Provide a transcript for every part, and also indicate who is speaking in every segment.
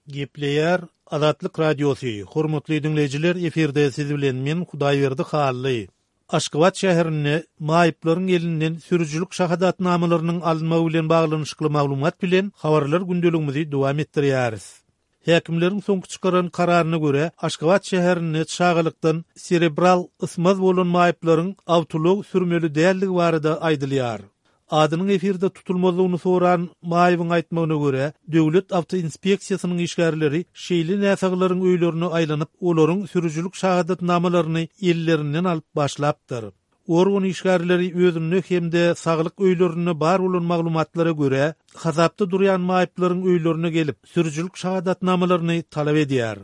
Speaker 1: Gepleýär Azatlyk Radiosy, Hormatly diňleýjiler efirde siz bilen men Hudaýberdi Hally. Aşgabat şäherinde maýyplaryň elinden sürüjilik şahadatnamalarynyň alynmagy bilen baglanyşykly maglumat bilen habarlar gündeligimizi dowam etdirýäris. Häkimleriň soňky çykaran kararyna görä, Aşgabat şäherinde çagalykdan serebral ysmaz bolan maýyplaryň awtoulag sürmeli däldigi barada aýdylýar. Adynyň efirde tutulmazlygyny soran maýybyň aýtmagyna görä, Döwlet awtoinspeksiýasynyň işgärleri şeýle näsaglaryň öýlerine aýlanyp, olaryň sürüjilik şahadatnamalaryny ellerinden alyp başlapdyr. Organ işgärleri özünde hem-de saglyk öýlerinde bar bolan maglumatlara görä, hasapda durýan maýyplaryň öýlerine gelip, sürüjilik şahadatnamalaryny talap edýär.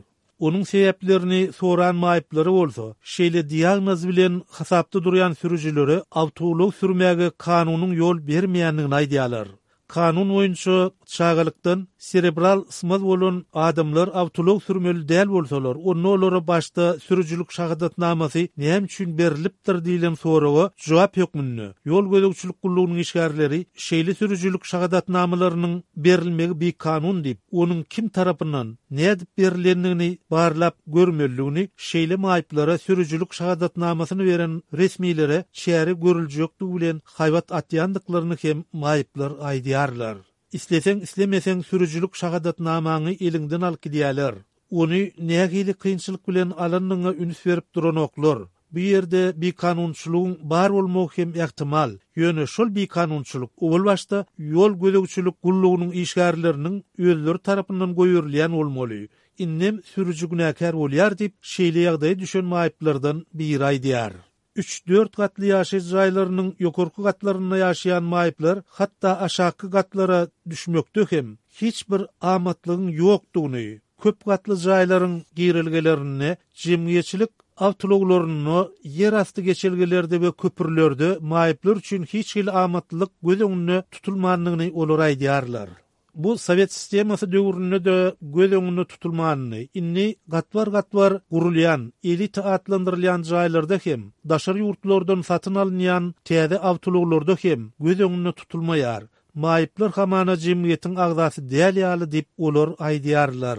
Speaker 1: Onuň sebäplerini soran maýyplara bolsa, şeýle diagnoz bilen hasapda durýan sürüjilere awtoulag sürmäge kanunyň ýol bermeýändigini aýdýarlar. Kanun boýunça çagalykdan serebral ysmaz bolan adamlar awtoulag sürmeli däl bolsalar, onda olara başda sürüjilik şahadatnamasy näme üçin berlipdir diýlen soraga jogap hökmünde, ýol gözegçilik gullugynyň işgärleri şeýle sürüjilik şahadatnamalarynyň berilmegi bikanun diýip, onuň kim tarapyndan, nädip berilendigini barlap görmelidigini, şeýle maýyplara sürüjilik şahadatnamasyny beren resmilere çäre görüljekdigi bilen haýbat atýandyklaryny hem maýyplar aýdýarlar. Isleseň-islemeseň sürüjilik şahadatnamaňy eliňden alyp gidýärler. Ony nähili kynçylyk bilen alandygyňa üns berip duranoklar. Bu ýerde bikanunçylygyň bar bolmagy hem ähtimal, ýöne şol bikanunçylyk owal başda ýol gözegçilik gullugynyň işgärleriniň özleri tarapyndan goýberilýän bolmaly. Indem sürüji günäkär bolýar diýip, şeýle ýagdaýa düşen maýyplardan biri aýdýar. Üç-dört gatly ýaşaýyş jaýlarynyň ýokarky gatlarynda ýaşaýan maýyplar hatda aşakky gatlara düşmekde hem hiç bir amatlygyň ýokdugyny, köp gatly jaýlaryň girelgelerinde, jemgyýetçilik awtoulaglarynda, ýerasty geçelgelerde we köprülerde maýyplar üçin hiç hili amatlylyk göz öňünde tutulmandygyny olar aýdýarlar. Bu sowet sistemasy döwründe-de göz öňünde tutulmandy. Indi gatbar-gatbar gurulýan, elita atlandyrylýan jaýlarda hem, daşary ýurtlardan satyn alynýan täze awtoulaglarda hem göz öňünde tutulmaýar. Maýyplar hamana jemgyýetiň agzasy däl ýaly diýip, olar aýdýarlar.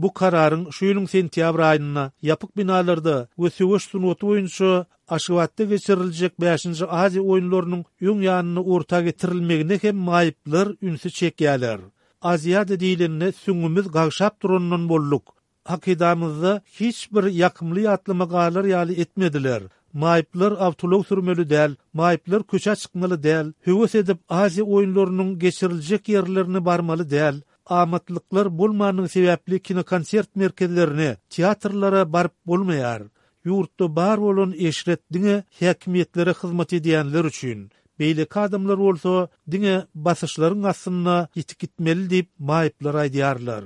Speaker 1: Bu kararyň şu ýylyň sentýabr aýynda ýapyk binalarda we söweş sungaty boýunça Aşgabatda geçiriljek bäşinji Aziýa oýunlarynyň öň ýanynda orta getirilmegine hem maýyplar ünsi çekýärler. Aziada diýlende süňňümiz gagşap durandan bolduk. Hakydamyzda hiç bir ýakymly ýatlama galar ýaly etmediler. Maýyplar awtoulag sürmeli däl, maýyplar köçä çykmaly däl, höwes edip Aziýa oýunlarynyň geçiriljek ýerlerine barmaly däl. Amatlyklar bolmandygy sebäpli kinokonsert merkezlerine, teatrlara baryp bolmaýar. Ýurtda bar bolan eşret diňe häkimiýetlere hyzmat edýänler üçin. Beýleki adamlar bolsa diňe basyşlaryň astynda ýitip gitmeli diýip, maýyplar aýdýarlar.